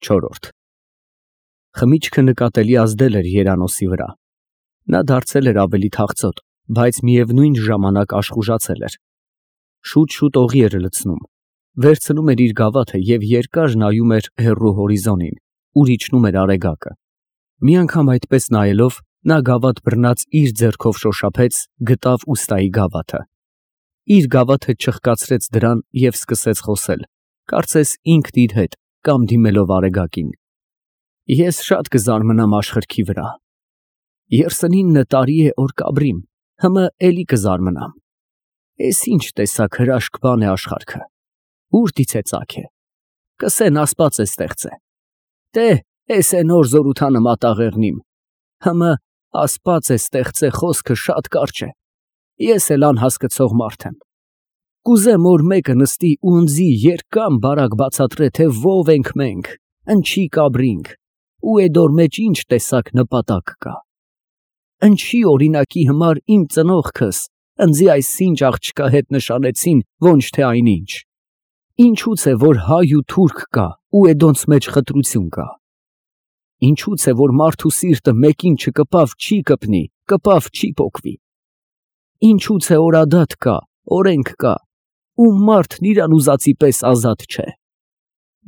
4 Խմիչքը նկատելի ազդել էր Երանոսի վրա։ Նա դարձել էր ավելի թախծոտ, բայց միևնույն ժամանակ աշխուժացել էր։ Շուտ-շուտ օղի էր լցնում, վերցնում էր իր գավաթը և երկար նայում էր հեռու հորիզոնին, ուր իջնում էր արեգակը։ Մի անգամ այդպես նայելով, նա գավաթ բռնած իր ձեռքով շոշափեց, գտավ ուստայի գավաթը։ Իր գավաթը չխկացրեց դրան և սկսեց խոսել, կարծես ինքն իր հետ կամ դիմելով արեգակին. Ես շատ կզարմանամ աշխարհքի վրա։ 39 տարի է որ կաբրիմ, հմը էլի կզարմանամ։ Էս ինչ տեսակ հրաշք բան է աշխարհքը, ուր ծագ է, կսեն Աստված է ստեղծե։ Տե, էս է նոր զորութանը մատաղեղնիմ, հմը Աստված է ստեղծե խոսքը շատ կարճ է, ես էլ անհասկացող մարդ եմ։ Կուզեմ որ մեկը նստի ու ընձի երկար բարակ բացատրե, թե ով ենք մենք, ընչի կաբրինք, ու էդոր մեջ ինչ տեսակ նպատակ կա։ Ընչի օրինակի համար իմ ծնողքս ընձի այս ինչ աղջկա հետ նշանեցին, ոչ թե այնինչ։ Ինչուց է որ հայ ու թուրք կա ու էդոնց մեջ խտրություն կա։ Ինչուց է որ մարդու սիրտը մեկին չկպավ չի կպնի, կպավ չի պոկվի։ Ինչուց է որ ադատ կա, օրենք կա, ու մարդն իրան ուզածի պես ազատ չէ։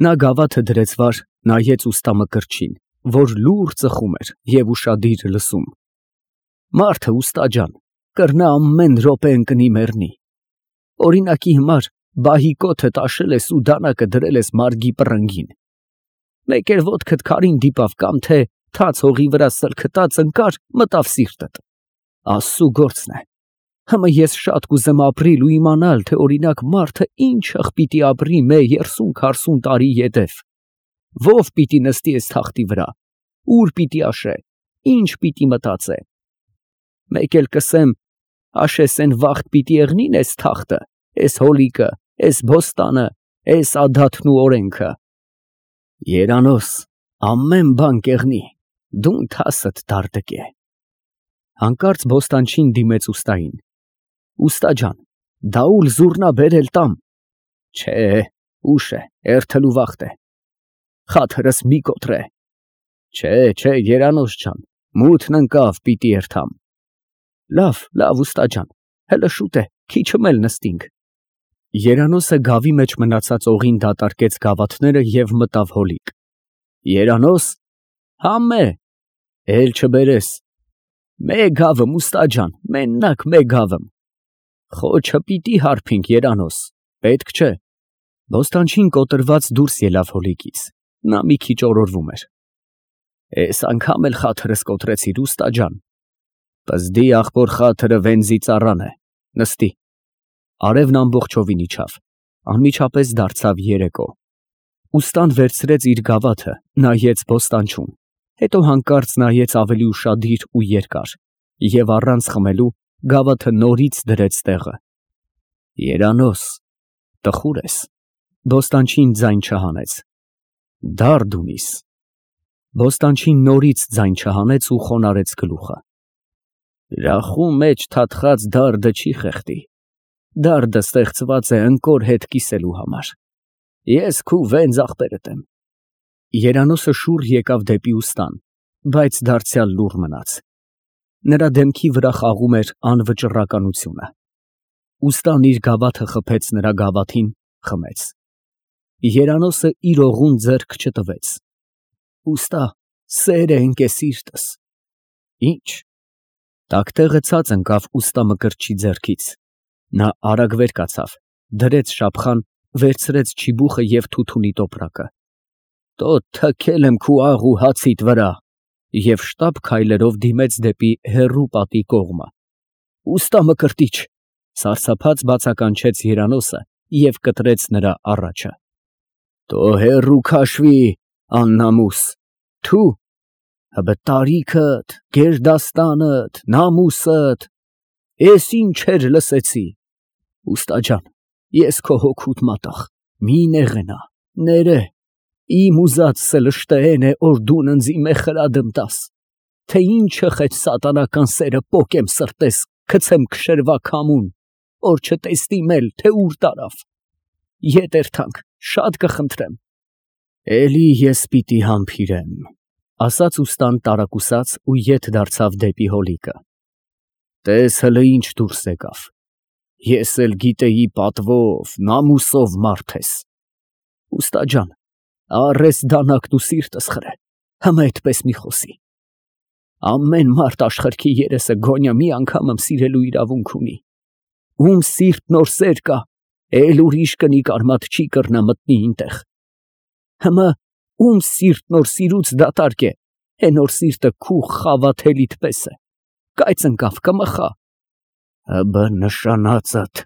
Նա գավաթը դրեց վար, նայեց ուստա Մկրտչին, որ լուռ ծխում էր և ուշադիր լսում։ Մարդը ուստա ջան, կռնա ամեն րոպե ընկնի մեռնի։ Օրինակի համար բահի կոթը տաշել ես ու դանակը դրել ես մարգի պռնգին։ Մեկ էլ ոտքդ քարին դիպավ կամ թե թաց հողի վրա սլքտած ընկար, մտավ սիրտդ։ Աստծու գործն է։ Հմը ես շատ կուզեմ ապրիլ ու իմանալ, թե օրինակ մարդը ինչը պիտի ապրի մե 30-40 տարի յետև։ Ով պիտի նստի այս թախտի վրա, ուր պիտի աշե, ինչ պիտի մտածե։ Մեկ էլ կսեմ, աշես են վաղտ պիտի եղնին այս թախտը, այս հոլիկը, այս բոստանը, այս ադաթն ու օրենքը։ Երանոս, ամեն բան կեղնի, դու թասդ դարդկե։ Հանկարծ բոստանչին դիմեց ուստային։ Ուստա ջան, դաուլ զուռնա բերել տամ։ Չէ, ուշ է, էրթլու վաղտ է։ Խաթրս մի կոտրե։ Չէ, Երանոս ջան, մութն ընկավ, պիտի էրթամ։ Լավ, ուստա ջան, հլը շուտ է, քիչմ էլ նստինք։ Երանոսը գավի մեջ մնացած օղին դատարկեց գավաթները և մտավ հոլիկ։ Երանոս, համե, էլ չբերես։ Մե գավım ուստա ջան, մենակ մե գավım։ Խոչը պիտի հարբինք, Երանոս, պետք չէ։ Բոստանչին կոտրված դուրս ելավ հոլիկից, նա մի քիչ օրորվում էր։ Էս անգամ էլ խաթրս կոտրեցիր, ուստա ջան։ Պզդի աղբոր խաթրը վենզի ծառան է, նստի։ Արևն ամբողջովին իջավ, անմիջապես դարձավ երեկո։ Ուստան վերցրեց իր գավաթը, նայեց բոստանչուն, հետո հանկարծ նայեց ավելի ուշադիր ու երկար, և առանց խմելու գավաթը նորից դրեց տեղը։ Երանոս, տխուր ես։ Բոստանչին ձայն չհանեց։ Դարդ ունիս։ Բոստանչին նորից ձայն չհանեց ու խոնարհեց գլուխը։ Ռախու մեջ թաթխած դարդը չի խեղդի։ Դարդը ստեղծված է ընկոր հետ կիսելու համար։ Ես քու վենձ աղբերդ եմ։ Երանոսը շուռ եկավ դեպի ուստան, բայց դարձյալ լուռ մնաց։ Նրա դեմքի վրա խաղում էր անվճռականությունը։ Ուստան իր գավաթը խփեց նրա գավաթին, խմեց։ Երանոսը իր օղուն ձեռք չտվեց։ Ուստա, սեր է ընկե սիրտս։ Ինչ։ Տակտեղը ցած ընկավ ուստա Մկրտչի ձեռքից։ Նա արագ վեր կացավ, դրեց շափխան, վերցրեց չիբուխը և թութունի տոպրակը։ Տո թքել եմ քու աղ ու հացիդ վրա, և շտապ քայլերով դիմեց դեպի հեռու պատի կողմը։ Ուստա Մկրտիչ, սարսափած բացականչեց Երանոսը և կտրեց նրա առաջը։ Տո հեռու քաշվի, աննամուս, թու, հըբը տարիքդ, գերդաստանդ, նամուսդ, ես ինչեր լսեցի։ Ուստա ջան, ես քո հոգուդ մատաղ, մի նեղենա, ներե, իմ ուզածը լշտեն է, որ դուն ընձի մեխրադմ տաս, թե ինչը խեչ սատանական սերը պոկեմ սրտես, կցեմ կշերվա կամուն, որ չտեստիմ էլ, թե ուր տարավ։ Ետ էրթանք, շատ կխնդրեմ։ Էլի ես պիտի համբիրեմ, ասաց ուստան տարակուսած ու ետ դարձավ դեպի հոլիկը։ Տես հլը ինչ դուրս եկավ։ Ես էլ գիտեի պատվով, նամուսով մարդ ես։ Ուստա ջան, առես դանակն ու սիրտս խրե, հմա այդպես մի խոսի։ Ամեն մարդ աշխարհքի երեսը գոնյա մի անգամ սիրելու իրավունք ունի։ Ում սիրտ նոր սեր կա, էլ ուրիշ կնիկ արմատ չի կռնա մտնի ինտեղ։ Հմա ում սիրտ նոր սիրուց դատարկ է, նոր սիրտը քու խավաթելիդ պես է, կայծ ընկավ կմխա։ Հբը նշանածդ,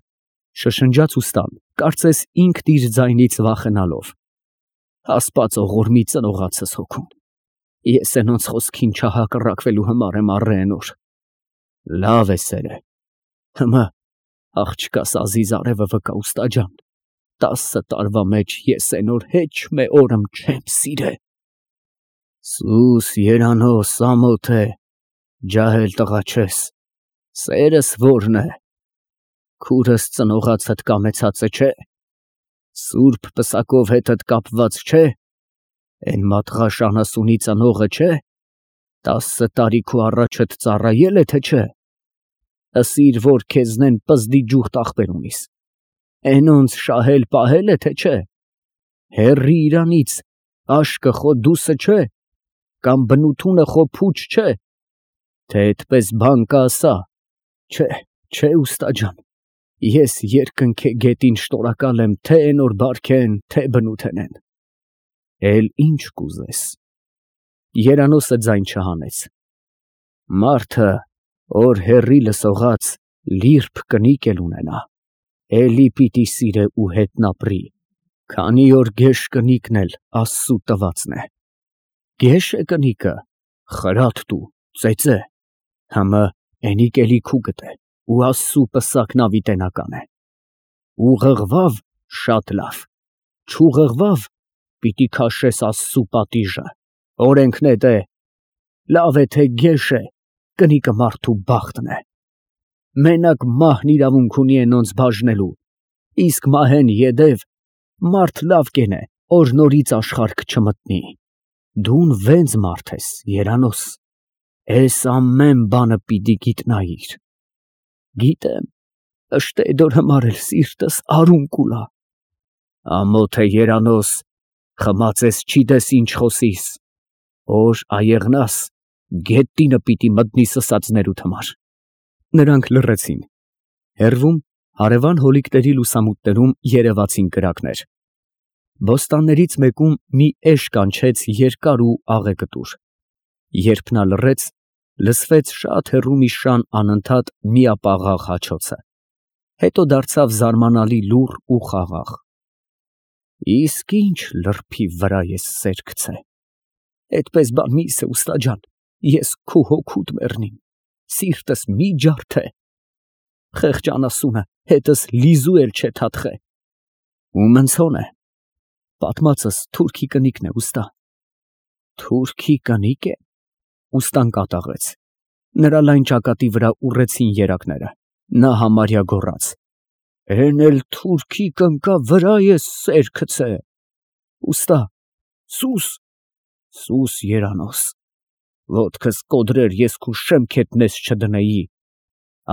շշնջաց ուստան, կարծես ինքն իր ձայնից վախենալով։ Ասպաց ողորմի ծնողացս հոգուն, ես ենոնց խոսքին չհակռակվելու համար եմ առենոր։ Լավ է սերը, հմա աղջկաս Ազիզ արևը վկա ուստա ջան, 10 տարվա մեջ ես ենոր հեչ մե օրմ չեմ սիրե։ Սուս երանոս ամոթ է, ջահել տղա չես, սերս որն է, քուրս ծնողացդ կամեցածը չէ, սուրբ պսակով հետդ կապված չէ, են մատղաշ անասունի ծնողը չէ, 10 տարի քու առաջդ ծառայել է թե չէ, ասիր որ քեզնեն պզդի ջուղտ ախպեր ունիս, ենոնց շահել պահել է թե չէ, հեռի իրանից աշկը խո դուսը չէ, կամ բնութունը խո փուչ չէ, թե այդպես բան կա ասա, չէ ուստա ջան, ես երկնքի գետին շտորակալ եմ թե ենոր բարքեն, թե բնութենեն, էլ ինչ կուզես։ Երանոսը ձայն չհանեց։ Մարդը, որ հեռի լսողած, լիրբ կնիկ էլ ունենա, էլի պիտի սիրե ու հետնապրի, քանի որ գեշ կնիկն էլ Աստծու տվածն է։ Գեշ է կնիկը, խրատ տու, ծեծե, հմը ենիկ էլի քու գտե, ու Աստծու պսակն ավիտենական է։ Ուղղղվավ շատ լավ, չուղղղվավ պիտի քաշես Աստծու պատիժը, օրենքն է դե, լավ է թե գեշ է, կնիկը մարդու բախտն է։ Մենակ մահն իրավունք ունի ենոնց բաժնելու, իսկ մահեն յետև մարդ լավ կենե, որ նորից աշխարհք չմտնի։ Դուն վենց մարդ ես, երանոս, ես ամեն բանը պիտի գիտնայիր։ Գիտեմ, ըշտեդոր համար էլ սիրտս արուն կուլա։ Ամոթ է երանոս, խմացես չիդես ինչ խոսիս, որ այեղնաս, գետինը պիտի մտնի սսածներուդ համար։ Նրանք լռեցին։ Հեռվում հարևան հոլիկների լուսամուտներում երևացին կրակներ։ Բոստաններից մեկում մի էշ կանչեց երկար ու աղեկտուր։ Երբ նա լռեց, լսվեց շատ հեռու մի շան անընդհատ միապաղաղ հաչոցը։ Հետո դարձավ զարմանալի լուռ ու խաղաղ։ Իսկ ինչ լրբի վրա ես սեր գցե։ Այդպես բան մի ասե ուստա ջան, ես քու հոգուդ մեռնիմ, սիրտս մի ջարդե։ Խեղճ անասունը հետս լիզու էլ չէ թաթխե։ Ում ընցոն է։ Պատմածս թուրքի կնիկն է ուստա։ Թուրքի կնիկ է։ Ուստան կատաղեց։ Նրա լայն ճակատի վրա ուռեցին երակները։ Նա համարյա գոռաց. Էն էլ թուրքի կնկա վրա ես սեր գցե։ Ուստա, սուս երանոս, ոտքս կոդրեր ես քու շեմքետնես չդնեի։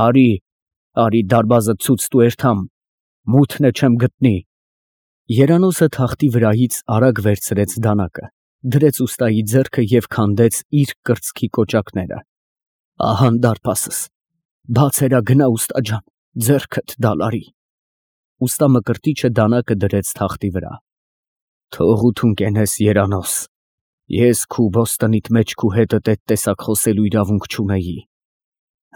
Արի դարբազը ցույց տու երթամ, մութն է չեմ գտնի։ Երանոսը թախտի վրայից արագ վերցրեց դանակը, դրեց ուստայի ձեռքը և քանդեց իր կրծքի կոճակները։ Ահան դարպասս, բացերա գնա ուստա ջան, ձեռքդ դալարի։ Ուստա մկրտիչը դանակը դրեց թախտի վրա։ Թողություն կենես երանոս, ես քու բոստանիդ մեջ քու հետդ էդ տեսակ խոսելու իրավունք չունեի։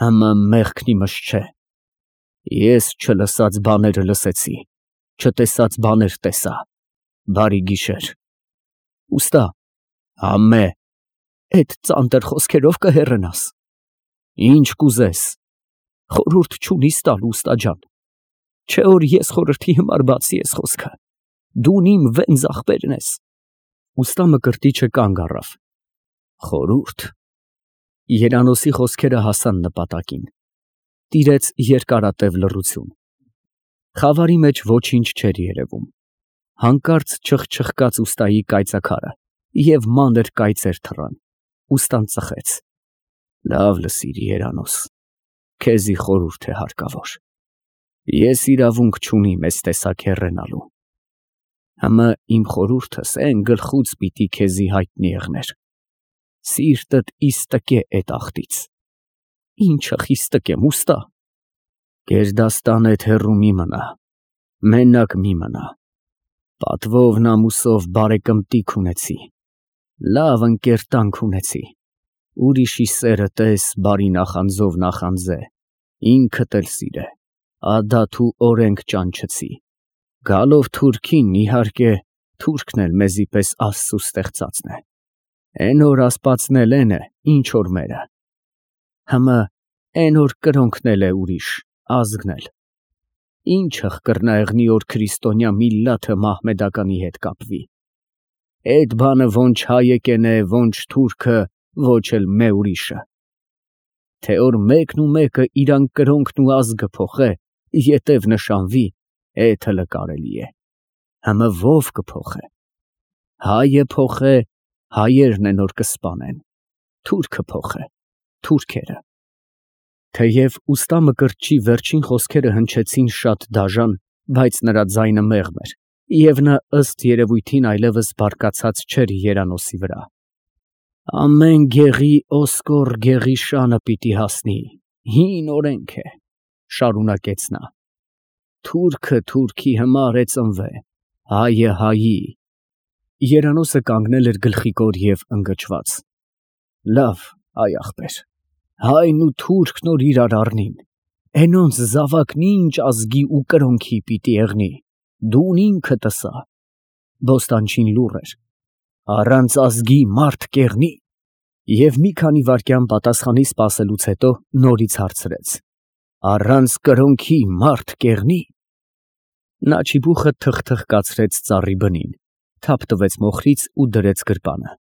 Հմը մեղքն իմս չէ։ Ես չլսած բաները լսեցի, չտեսած բաներ տեսա, բարի գիշեր։ Ուստա, համե, էդ ծանտր խոսքերով կհեռնաս։ Ինչ կուզես, խորհուրդ չունիս տալու ուստա ջան, չէ որ ես խորհրդի համար բացի ես խոսքը, դուն իմ վենց ախպերն ես։ Ուստա մկրտիչը կանգ առավ։ Խորհուրդ։ Երանոսի խոսքերը հասան նպատակին։ Տիրեց երկարատև լռություն։ Խավարի մեջ ոչինչ չէր երևում։ Հանկարծ չխչխկաց ուստայի կայծաքարը և մանր կայծեր թռան։ Ուստան ծխեց։ Լավ լսիր, Երանուս, քեզի խորհուրդ է հարկավոր։ Ես իրավունք չունիմ այս տեսակ հեռենալու։ Համը իմ խորհուրդս էն գլխուց պիտի քեզի հայտնի եղներ։ Սիրտդ իստկե էդ ախտից։ Ինչը խիստկեմ, ուստա։ Գերդաստանեդ հեռու մի մնա, մենակ մի մնա։ Պատվով նամուսով բարեկմտիկ ունեցի, լավ ընկերտանք ունեցի, ուրիշի սերը տես բարի նախանձով նախանձե, ինքդ էլ սիրե, ադաթ ու օրենք ճանչեցի, գալով թուրքին իհարկե թուրքն էլ մեզի պես Աստծու ստեղծածն է, էն որ ասպացն էլ են է, ինչ որ մերը, համը էն որ կրոնքն էլ է ուրիշ, ազգն էլ, ինչը կրնա եղնի որ քրիստոնյա միլլաթը մահմեդականի հետ կապվի, էդ բանը ոնչ հայեկեն է, ոնչ թուրքը, ոչ էլ մե ուրիշը, թե որ մեկն ու մեկը իրան կրոնքն ու ազգը փոխե, ետև նշանվի, էդ հլը կարելի է, համը ով կփոխե, հայը փոխե, հայերն են որ կսպանեն, թուրքը փոխե, թուրքերը, թեև ուստա Մկրտչի վերջին խոսքերը հնչեցին շատ դաժան, բայց նրա ձայնը մեղմ էր, և նա ըստ երևույթին այլևս բարկացած չէր Երանոսի վրա։ Ամեն գեղի օսկոր գեղի շանը պիտի հասնի, հին օրենք է, շարունակեց նա, թուրքը թուրքի համար է ծնվե, հայը հայի։ Երանոսը կանգնել էր գլխիկոր և ընկճված։ Լավ, այ ախպեր, հայն ու թուրքն որ իրար առնին, էնոնց զավակն ինչ ազգի ու կրոնքի պիտի եղնի, դուն ինքդ ըսա։ Բոստանչին լուռ էր, առանց ազգի մարդ կեղնի, և մի քանի վայրկյան պատասխանի սպասելուց հետո նորից հարցրեց. առանց կրոնքի մարդ կեղնի։ Նա ճիբուխը թխթխ կացրեց ծառի բնին, թափ տվեց մոխրից ու դրեց գրպանը։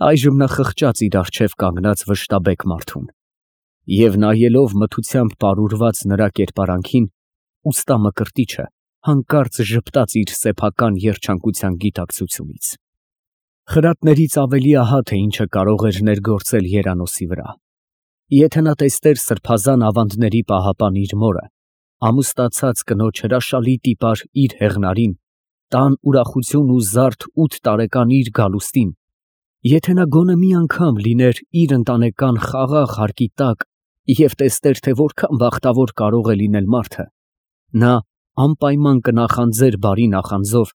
Այժմ նա խղճաց իր առջև կանգնած վշտաբեկ մարդուն, և նայելով մթությամբ պարուրված նրա կերպարանքին, ուստա Մկրտիչը հանկարծ ժպտաց իր սեփական երջանկության գիտակցությունից։ Խրատներից ավելի ահա թե ինչը կարող էր ներգործել Երանոսի վրա։ Եթե նա տեսներ սրբազան ավանդների պահապան իր մորը, ամուսնացած կնոջ հրաշալի տիպար իր հեղնարին, տան ուրախություն ու զարդ 8 տարեկան իր գալուստին, եթե նա գոնե մի անգամ լիներ իր ընտանեկան խաղաղ հարկի տակ և տեսներ, թե որքան բախտավոր կարող է լինել մարդը, նա անպայման կնախանձեր բարի նախանձով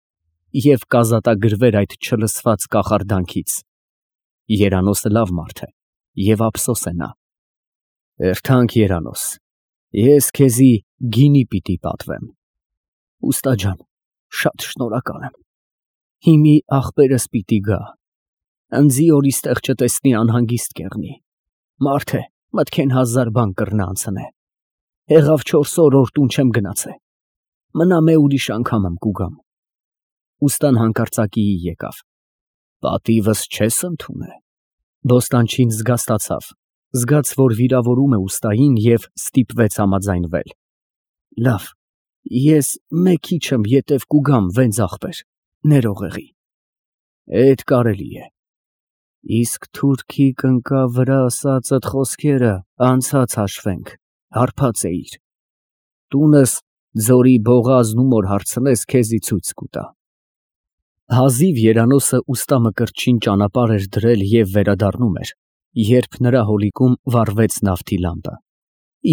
և կազատագրվեր այդ չլսված կախարդանքից։ Երանոսը լավ մարդ է և ափսոս է նա։ Հերթանք Երանոս, ես քեզի գինի պիտի պատվեմ։ Ուստա ջան, շատ շնորհակալ եմ։ Հիմի ախպերս պիտի գա։ Ընձի որ իստեղ չտեսնի անհանգիստ կեղնի։ Մարդ է, մտքեն 1000 բան կռնա անցնե։ Եղավ 4 օր որ տուն չեմ գնացե։ Մնա մե ուրիշ անգամ կուգամ։ Ուստան հանկարծակիի եկավ։ Պատիվս չես ընդունե։ Բոստանչին զգաստացավ, զգաց, որ վիրավորում է ուստային և ստիպվեց համաձայնվել։ Լավ, ես մեկ քիչ ետև կուգամ վենց ախպեր, ներողեղի։ Էդ կարելի է։ Իսկ թուրքի կնկա վրա ասածդ խոսքերը անցած հաշվենք, հարբած էիր։ Տունս ձորի բողազն ում որ հարցնես քեզի ցույց կուտա։ Հազիվ Երանոսը ուստա Մկրտչին ճանապարհ էր դրել և վերադառնում էր, երբ նրա հոլիկում վառվեց նավթի լամպը։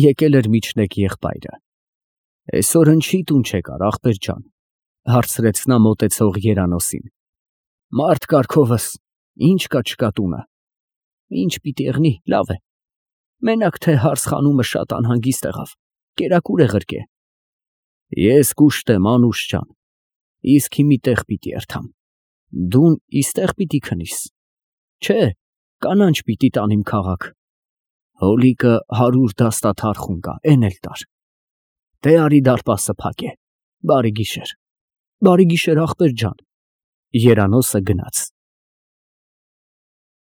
Եկել էր միջնեկ եղբայրը։ Այսօր ընչի տուն չեկար, ախպեր ջան, հարցրեց նա մոտեցող Երանոսին։ Մարդ կարգովս, ինչ կա չկա տունը։ Ինչ պիտի եղնի, լավ է։ Մենակ թե հարսխանումը շատ անհանգիստ եղավ, կերակուր է ղրկե։ Ես կուշտ եմ, Անուշ ջան, իսկ հիմի տեղ պիտի երթամ։ Դուն իստեղ պիտի քնիս։ Չէ, կանանչ պիտի տանիմ քաղաք։ Հոլիկը 100 դաստաթ խուն կա, էն էլ տար։ Դե արի դարպասը փակ է։ Բարի գիշեր։ Բարի գիշեր, ախպեր ջան։ Երանոսը գնաց։